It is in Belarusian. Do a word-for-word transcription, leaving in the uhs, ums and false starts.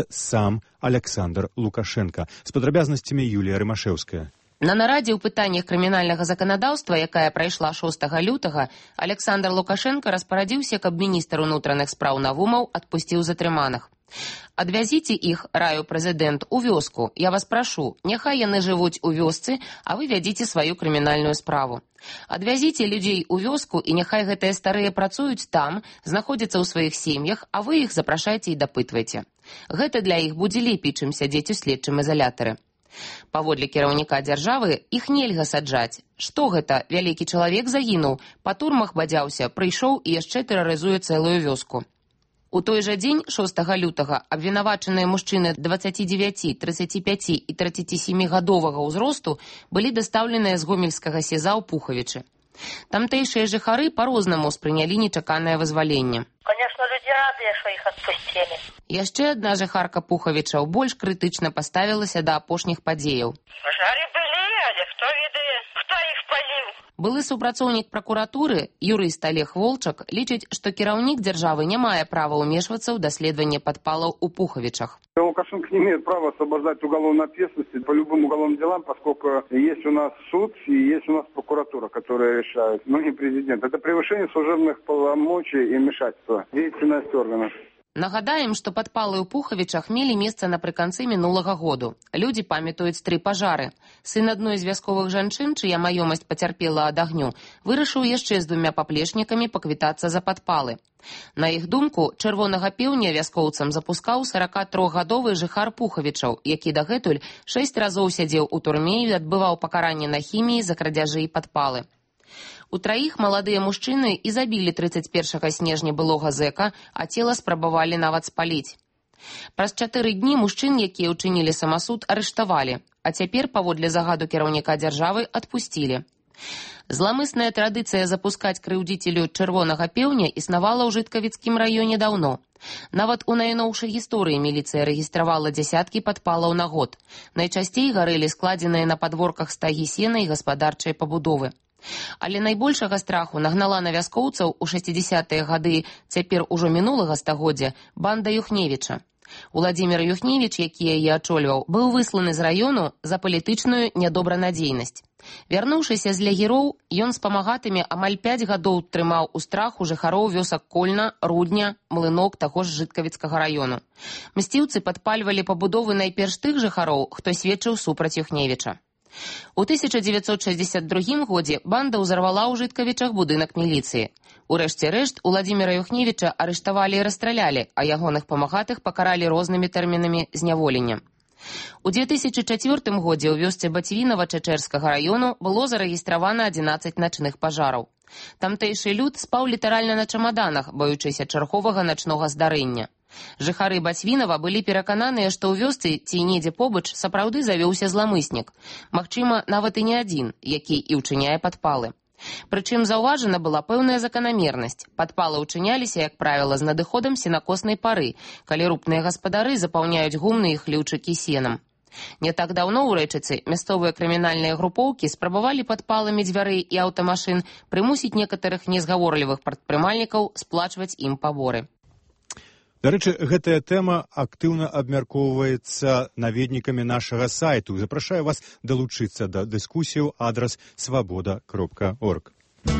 сам Александр Лукашенко. З падрабязнасцямі Юлія Рымашэўская. На нарадзе ў пытаннях крымінальнага заканадаўства, якая прайшла шостага лютага, Александр Лукашенко распарадзіўся, каб міністр унутраных спраў Навумаў адпусціў затрыманых. «Адвязіце іх, раю прэзідэнт, у вёску. Я вас прашу, няхай яны жывуць у вёсцы, а вы вядзіце сваю крымінальную справу. Адвязіце людзей у вёску, і няхай гэтыя старыя працуюць там, знаходзяцца ў сваіх сем'ях, а вы іх запрашайце і дапытвайце. Гэта для іх будзе лепей, чым сядзець у следчым изолятары». Паводле кіраўніка дзяржавы, іх нельга саджаць. Што гэта? Вялікі чалавек загінуў, па турмах бадзяўся, прыйшоў і яшчэ тэрарызуе цэлую вёску. У той жа дзень, шостага лютага, абвінавачаныя мужчыны дваццаці дзевяці, трыццаці пяці і трыццаці сямі гадовага ўзросту былі дастаўленыя з гомельскага сеза ў Пухавічы. Тамтэйшыя жыхары па-рознаму ўспрынялі нечаканае вызваленне. Конечно, люди радыя, што іх адпусцілі. Яшчэ адна жыхарка Пухавічаў больш крытычна паставілася да апошніх падзеяў. Пажары былі, але хто ведае, хто іх паліў? Былы супрацоўнік пракуратуры, юрыст Олег Волчак, лічыць, што кіраўнік дзяржавы не мае права ўмешвацца ў даследаванне падпалаў у Пухавічах. Лукашенко не имеет права освобождать уголовной ответственности по любым уголовным делам, поскольку есть у нас суд и есть у нас прокуратура, которая решает, но не президент. Это превышение служебных полномочий и вмешательства в деятельность органов. Нагадаем, што падпалы ў Пухавічах мелі месца напрыканцы мінулага году. Людзі памятаюць тры пажары. Сын адной з вясковых жанчын, чыя маёмасць пацярпела ад агню, вырашыў яшчэ з двумя паплечнікамі паквітацца за падпалы. На іх думку, чырвонага пеўня вяскоўцам запускаў саракатрохгадовы жыхар Пухавічаў, які дагэтуль шэсць разоў сядзеў у турме і адбываў пакаранне на хіміі за крадзяжы і падпалы. У траіх маладыя мужчыны і забілі трыццаць першага снежня былога зэка, а цела спрабавалі нават спаліць. Праз чатыры дні мужчын, якія ўчынілі самасуд, арыштавалі, а цяпер, паводле загаду кіраўніка дзяржавы, адпусцілі. Зламысная традыцыя запускаць крыўдзіцелю чырвонага пеўня існавала ў Жыткавіцкім раёне даўно. Нават у найноўшай гісторыі міліцыя рэгістравала дзясяткі падпалаў на год. Найчасцей гарэлі складзеныя на падворках стагі сена і гаспадарчай пабудовы. Але найбольшага страху нагнала на вяскоўцаў у шэсцідзесятыя гады цяпер ужо мінулага стагоддзя банда Юхневіча. Уладзімір Юхневіч, які яе ачольваў, быў высланы з раёну за палітычную нядобранадзейнасць. Вярнуўшыся з лягіроў, ён з памагатымі амаль пяць гадоў трымаў у страху жыхароў вёсак Кольна, Рудня, Млынок таго ж Жыткавіцкага раёну. Мсціўцы падпальвалі пабудовы найперш тых жыхароў, хто сведчыў супраць Юхневіча. У тысяча дзевяцьсот шэсцьдзесят другім годзе банда ўзарвала ў Жыткавічах будынак міліцыі. Урэшце рэшт, Уладзіміра Юхневіча арыштавалі і расстралялі, а ягоных памагатых пакаралі рознымі тэрмінамі зняволення. У дзве тысячы чацвёртым годзе ў вёсцы Бацьвінава Чачэрскага раёну было зарэгістравана адзінаццаць начных пажараў. Тамтэйшы люд спаў літаральна на чамаданах, баючыся чарговага начнога здарэння. Жыхары Бацьвінава былі перакананыя, што ў вёсцы ці недзе побач сапраўды завёўся зламыснік. Магчыма, нават і не адзін, які і ўчыняе падпалы. Прычым заўважана была пэўная заканамернасць. Падпалы ўчыняліся, як правіла, з надыходам сенакоснай пары, калі рупныя гаспадары запаўняюць гумны і хлеўчыкі сенам. Не так даўно ў Рэчыцы мясцовыя крымінальныя групоўкі спрабавалі падпаламі дзвярэй і аўтамашын прымусіць некаторых незгаворлівых прадпрымальнікаў сплачваць ім паборы. Дарэчы, гэтая тэма актыўна абмяркоўваецца наведнікамі нашага сайту. Запрашаю вас далучыцца да дыскусіі ў адрас свабода кропка орг.